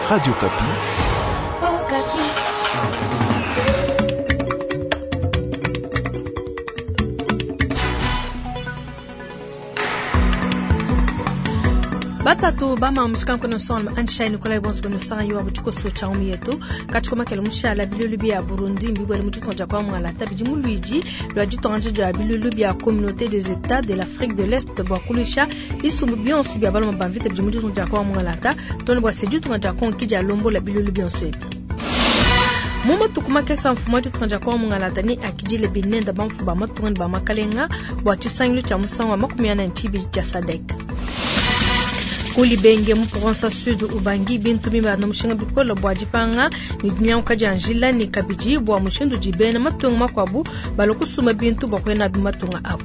Radio Okapi. Batatu bama mushikanko no son anshai Nikolai bonso no sanga yiwa butiko so cha yetu katiko makele mushala bilulu bya Burundi mbibwele mutu tonja kwa mwala tabidi muluiji lwa ditonja ja bilulu bya communauté des états de l'Afrique de l'Est bwa kulisha isumbu bionso bya baloma bamvita bidi mutu tonja kwa mwala ta tone bwa seju tonja kwa nkija lombo la bilulu bionso ebi. Mu matuku makese mfumu wa ditunga dia Kongo mungalata ne akidile binenda bamfumu ba matunga ne ba makalenga bua tshisangilu tshia musangu wa 42 tshia SADC. Ku Libenge mu province Sud Ubangi bintu bibanda mushinga bikole bua dipanga ne dinyanguka dia njila ne kabidi bua mushindu udi bena matunga makuabu balua kusumba bintu bua kuya nabi matunga abu.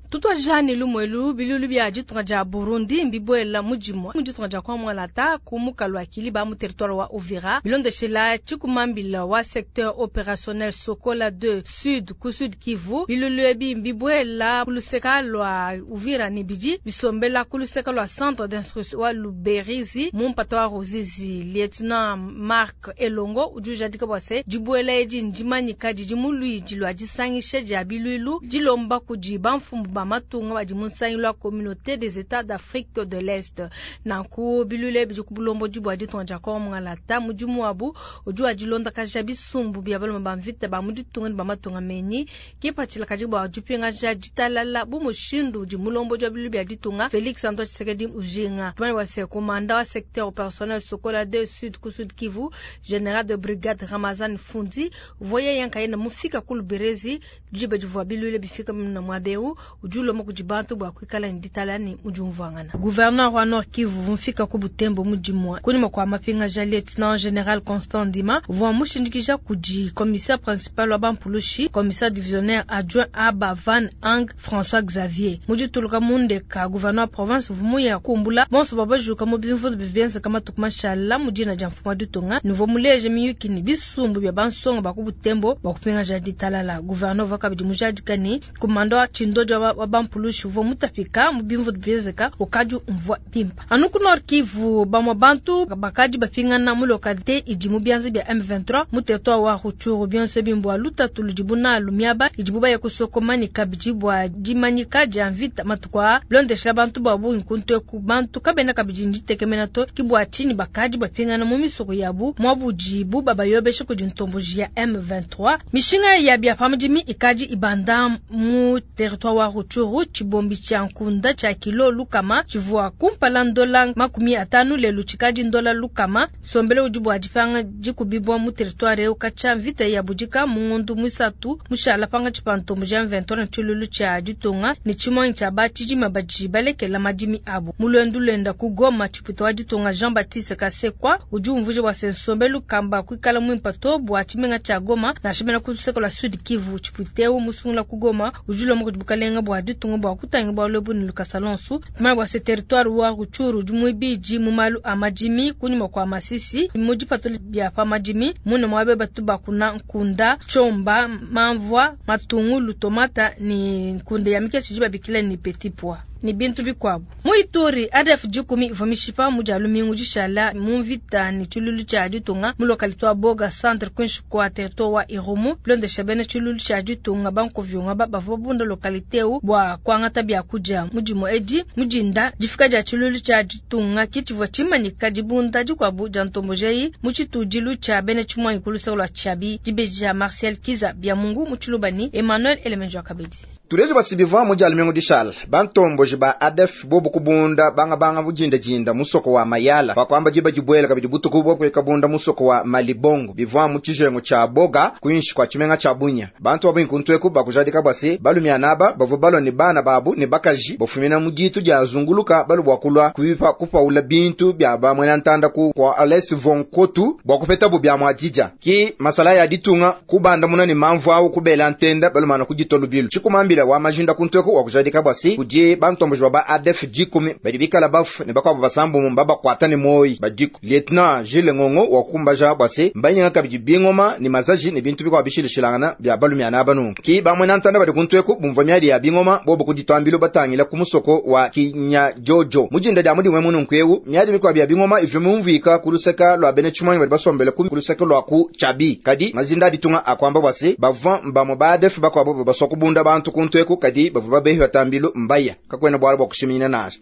Tutwajane lumwelu bilulu bya ditunga dia Burundi mbibwela mudimwa mu ditunga dia Kwamwalata ku mukalu wa Kiliba mu territoire wa Uvira bilondeshela tshikumambila wa secteur opérationnel Sokola 2 Sud ku Sud Kivu bilulu ebi mbibwela kuluseka lwa Uvira ne bidi bisombela kuluseka lwa centre d'instruction wa Luberizi mu mpata wa Ruzizi. Lieutenant Marc Elongo udi ujadika bua se dibwela edi ndimanyika didi mu luidi lwa disangisha dia bilulu dilomba kudi bamfumu ba matunga badi mu nsangilu wa communauté des états d'Afrique de l'Est. Nanku bilule bidi ku bulombodi bua ditunga dia Kongo mungalata mudimu wabu udi wa dilondakaja bisumbu bia balume ba mvita ba mu ditunga ne ba matunga menyi kipatshila kadi bua dipingaja ditalala bu mushindu udi mulombodi wa bilulu bia ditunga Félix Antoine Tshisekedi ujinga. Tumane bua se komanda wa secteur opérationnel Sokola 2 Sud ku Sud Kivu général de brigade Ramazan Fundi voye yankayenda mufika ku Luberezi diba divua bilule bifika muna mwabeu udi ulomba kudi bantu bua kuikala ne ditala ne mudi umvuangana. Gouverneur wa Nord Kivu mufika ku Butembo mudimua kunyima kua mapingaja lieutenant général Constant Ndima uvua mushindikija kudi commissaire principal wa Bampulushi commissaire divisionnaire adjoint Aba Van Ang François Xavier mudituluka mundeka gouverneur wa province vumuya kumbula bonso babajuka mu bimvundu bibienzeka matuku mashala mudina dia mfumu wa ditunga nouveau muleje miyuki ne bisumbu bia bansonga ba ku Butembo bua kupingaja ditalala. Gouverneur uvua kabidi mujadika ne komanda wa tshindojo wa Bampulushi uvua mutapika mu bimvundu bienzeka ukadi umvua bimpa. Anu ku Nord Kivu bamwe bantu bakadi bapingana mu localité idi mu bianza bia M23 mu territoire wa Rutshuru bionso bimbwa lutatu ludibu nalu miaba idibu baya kusokoma ne kabidi bua dimanyika dia mvita matuku aa bilondeshela bantu ba bungi kuntu eku bantu kabena kabidi nditekemena to ki bua tshinyi bakadi bapingana mu misoko yabu muabudibu babayobesha kudi ntomboji ya M23. Mishinga ya bia pamudimi ikadi ibanda mu territoire wa Rutshuru tshibombi tshia nkunda tshia kilo lukama tshivua kumpala ndola 50 lelu tshikadi ndola lukama sombele udi bua dipanga dikubibwa mu territoire eu katshia mvita ya budika mu ngondu muisatu mushala panga tshipantombo ja M23 na tshilulu tshia ditunga ne tshimonyi tshia batshidima badi balekela madimi abu. Mu luendu luenda ku Goma tshipuita wa ditunga Jean-Baptiste Kasekwa udi umvuija bua se nsombelu kamba kuikala muimpa to bua tshimenga tshia Goma nansha bena ku luseke lua Sud Kivu. Tshipuita eu musungula ku Goma udi ulomba kudi bukalenga bua ditunga bua kutanga bualu ebu ne lukasa lonsu. Tumanye bua se territoire wa Rutshuru udi muibidi mu malu a madimi kunyima kua Masisi mu dipatula bia pa madimi mune muabe batu bakuna nkunda tshomba mamvua matungulu tomata ni nkunda ya mikese idi babikila ni petit pois ni bintu bikuabu. Mu Ituri ADF 10 ivua mishipa mu dia lumingu dishala mu mvita ne tshilulu tshia ditunga mu localité wa Boga centre kwinshi kwa territoire wa Irumu bilondesha bena tshilulu tshia ditunga bankovyonga bavua babunda localité eu bua kuangata biakudia mudimu edi mudinda difika dia tshilulu tshia ditunga kitshivua tshimanyika dibunda dikuabu dia ntombojeyi mu tshitudilu tshia bena tshimuanyi ku luseke lua Tshiabi dibeji Marcel Kiza bia Mungu mu Tshilubani Emmanuel Elemenjo Kabedi. Tulejo basibiva mu dia lumingu dishala bantomboji ba ADF bobu kubunda banga banga bujinda jinda musoko wa Mayala bakwamba jiba jibwela kabidi butuku bwo kweka bunda musoko wa Malibongo bivwa mu tshijengo tsha Boga kwinshi kwa tshimenga tsha Bunya bantu babu inkuntweku bakujadika bwase balumya naba bavu balwa ne bana babu ne bakaji bafumina mu ditu dia zunguluka balu bwa kulwa kuipa kupaula bintu bya ba mwena ntanda ku kwa Ales von Kotu bwa kupeta bu bya mwadija ki masala ya ditunga kubanda muna ne mamvu awu kubela ntenda balumana kujitolu bilu tshikumambila wa majinda kuntweko wa kujadika bwasi kuje bantu. bantomboji ba ba ADF 10 badi bikala bafu ne bakwabo basambombo mbabakwata ne moyi badiku. Lieutenant Jules Ngongo wakukumbaja bwa se mbanyinga kabidi bingoma ne mazaji ne bintu bikwa bishilishilangana bya balumyana abanu. Ki bamwe na ntanda badi kuntweku bumva myadi ya bingoma bobo kuditwambilo batangila ku musoko wa Kinyajojo. Mujinda dia mudi mwe mununku myadi bikwa bya bingoma ivyo mumvika kuluseka lwa bene chimwanyi badi basombele ku kuluseka lwa ku Chabi. Kadi mazinda ditunga akwamba bwa se bavwa mbamwe ba ADF bakwabo basoko bunda bantu kuntweku kadi bavwa babehi batambilo mbaya kakwena bwala bwa kushiminyina nazo.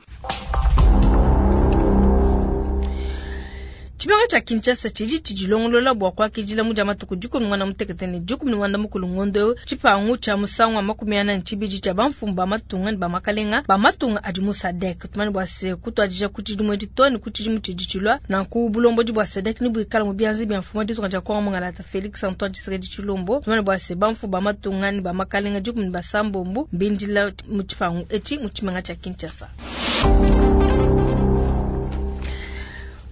Tshimenga tsha Kinshasa tshidi tshidilongolola bua kuakidila mu dia matuku dikumi muanda mutekete ne dikumi ne muanda mukulu ngondo eu, tshipangu tshia musangu wa 42 tshia bamfumu ba matunga ne ba makalenga ba matunga adi mu SADC. Tumanye bua se kutuadija ku tshidimu etshi too ne ku tshidimu tshidi tshilua, nanku bulombodi bua SADC ne buikala mu bianza bia mfumu wa ditunga dia Kongo Mungalata Felix Antoine Tshisekedi Tshilombo. Tumanye bua se bamfumu ba matunga ne ba makalenga dikumi ne basambombo mbindila mu tshipangu etshi mu tshimenga tshia Kinshasa.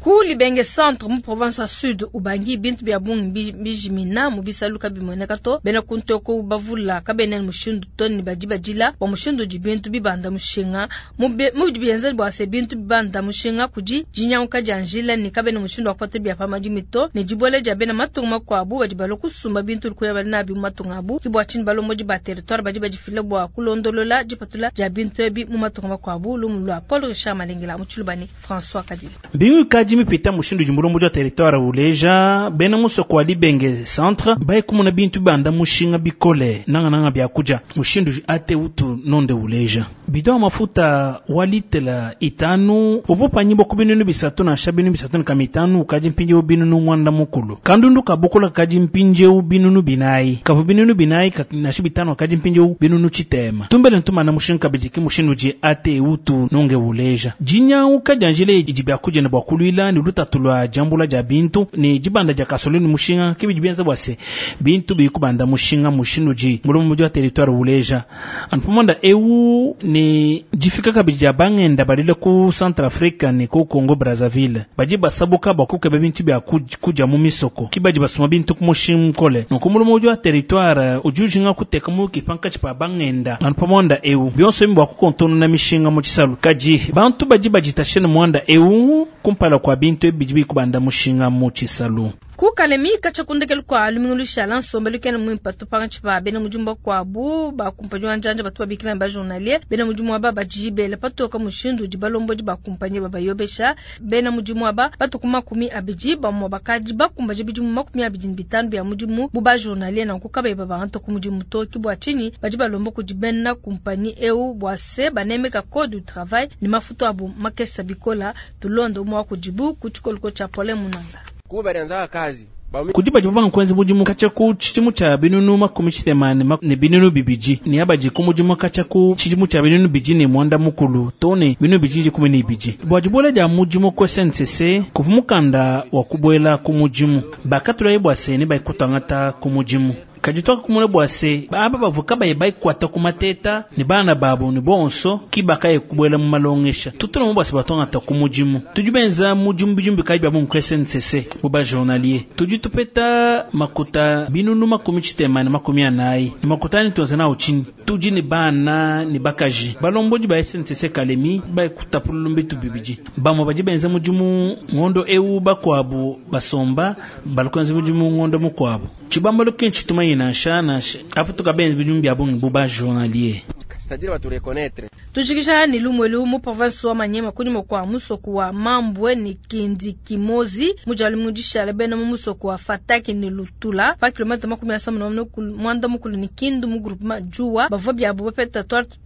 Ku Libenge Centre mu province ya Sud Ubangi bintu bya bungi bijimina mu bisalu kabimoneka to bena kuntoko bavula kabena mushindu to ne badi badila bua mushindu di bintu bibanda mushinga mu bienza bua se bintu bibanda mushinga kudi jinyanguka dia njila ne kabena mushindu wa kupata bya pa madimi to ne dibole dia bena matunga makuabu badi balua kusumba bintu kuya bali nabi mu matunga abu. Ki bua tshinyi balombodi ba territoire badi badifila bua kulondolola dipatula dia bintu ebi mu matunga makuabu. Lumu lua Paul Richard Malengela mu Tshilubani François Kadili. Bingu kaji mipita mushindu jimbulombo ja territoire uleja bena musoko wa Libenge Centre baye kumuna bintu banda mushinga bikole nanga nanga bya kuja mushindu ate utu nonde uleja bidon mafuta walitela itanu uvo panyimbo kubinunu bisatu na shabinu bisatu na kamitanu kaji mpinje ubinunu mwanda mukulu kandundu kabukola kaji mpinje ubinunu binai kavu binunu binai na shibitano kaji mpinje ubinunu chitema tumbele ntuma na mushinga kabijiki mushindu ji ate utu nonge uleja jinya ukajanjile ijibya kuja na bwakulwila ni lutatulwa jambula ja bintu ni jibanda ja kasolini mushinga kibi bienza bwase bintu bikubanda mushinga mushindu ji mulomo wa territoire uleja anpumonda eu ni jifika kabija bangenda balile ku Centrafrique ni ku Congo Brazzaville baji basabuka bakuke bintu bya kuja mu misoko kibaji basuma bintu ku mushinga kole no ku mulomo wa territoire ujujinga kuteka mu kipanka chipa bangenda anpumonda eu byonso mbwa kukontona na mishinga mu chisalu kaji bantu baji bajitashena mwanda eu kumpala kwa bintu ebijibi kubanda mushinga mu chisalu. Ku Kalemi kachakundekelu kwa lumingu lushala nsombelu kena mwimpa tupanga chipa bena mujumba kwa bu ba kumpanyi wa njanja batu babikila ba journalier bena mujumu aba bajibele patoka mushindu di balombo di ba kumpanyi baba yobesha bena mujumu aba batu kuma kumi abiji ba mwa bakaji ba kumbaje bijumu makumi abiji bitanu bya mujumu bu ba journalier na kukabe baba anto ku mujumu to kibwa chini baji balombo ku dibena kumpanyi eu bwa se banemeka code du travail ni mafuto abu makesa bikola tulondo mwa kujibu kuchikolko cha pole munanga kubarianza kazi kujiba jiba nkwenzi bujimu kacha ku chijimu cha binunu makumi chitemane ne binunu bibiji ni abaji ku mujimu kacha ku chijimu cha binunu biji ne mwanda mukulu tone binunu biji kumi ne biji bwajibola ja mujimu ko SNCC kuvumukanda wa kubwela ku mujimu bakatula yebwase ne baikutangata ku mujimu kajitoka kumule bwase aba bavuka baye baikwata kumateta ni bana babo ni bonso kibaka ye kubwela mu malongesha tutuna mu bwase batongata ku mujimu tujubenza mujimu bijumbi kayi bya mu SNCC mu ba journalier tuju tupeta makuta binunu makumi chitema ne makumi anayi ni makuta ni tuanza na uchini tuji ni bana ni bakaji balomboji ba SNCC Kalemi baikutapululu mbitu bibiji bamwe baji benza mujimu ngondo eu bakwabu basomba balkonza mujimu ngondo mukwabo chibambalo kenchi tumayi na shana apo tukabenzi bijumbi bya bungi buba journalier c'est-à-dire batu reconnaître Tushikisha ni lumwelu mu province wa Manyema kunyuma kwa musoko wa Mambwe ni Kindi Kimozi mujali mujisha bena mu musoko wa Fataki ni Lutula pa kilomita makumi ya saba na mwanda mukulu ni Kindu mu groupement Jua bavwa bya bo peta twatu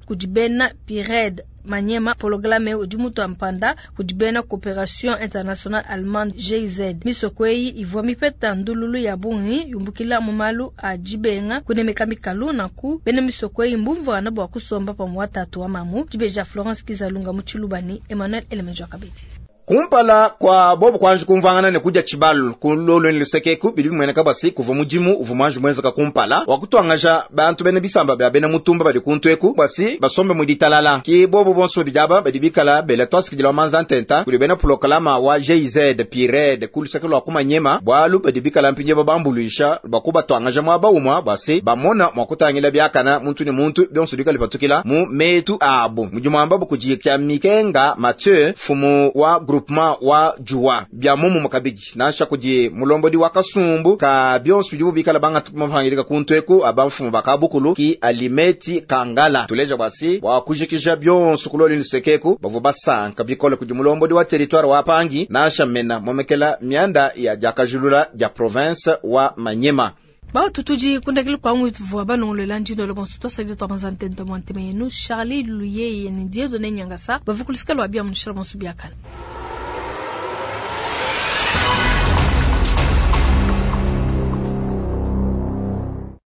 kujibena Pired Manyema programme udi mutu ampanda kujibena Coopération Internationale Allemande GIZ misoko eyi ivwa mipeta ndululu ya bungi yumbukila mu malu a jibenga kunemeka mikalu na ku bena misoko eyi mbumvana na bwa kusomba pamwe tatu wa mamu jibeja Florence Kizalunga mu Tshilubani Emmanuel Elemenjo Kabedi. Kumpala kwa bobu kwanji kumvangana ne kudia tshibalu kulolweni lusekeku bidi bimueneka basi kuva mudimu uvu mwanji mwenzeka kumpala wakutwangaja bantu bene bisamba bya bena mutumba badi kuntu basi basombe muditalala ki bobu bonso bidaba badi bikala bela twasikidila manza ntenta kuli bena polokalama wa GIZ PIRED kuluseke lwa kumanyema bwalu badi bikala mpinje babambuluisha bakubatwangaja mwaba umwa basi bamona mwakutangila byakana muntu ne muntu byonso bikala patukila mu metu abo mudimu amba bukujikya mikenga Mathieu fumu wa groupement wa juwa bya mumu makabidi nansha kudi mulombodi wa kasumbu ka byonso bidibu bikala banga mafangilika kuntu eku abamfumu bakabukulu ki alimeti kangala tuleja bwasi bwakujikija byonso kuloli lusekeku bavu basanka bikole kudi mulombodi wa territoire wa pangi nansha mena momekela mianda ya jakajulula ja province wa Manyema. Bautu tudi kundakile kwa ngwitu banongolela njino lo bonso twasadi twabanza ntento mwa ntema yenu Charlie Luyeye ni Dieudonné Nyangasa bavukulisika lwa bia munushila bonso biakana.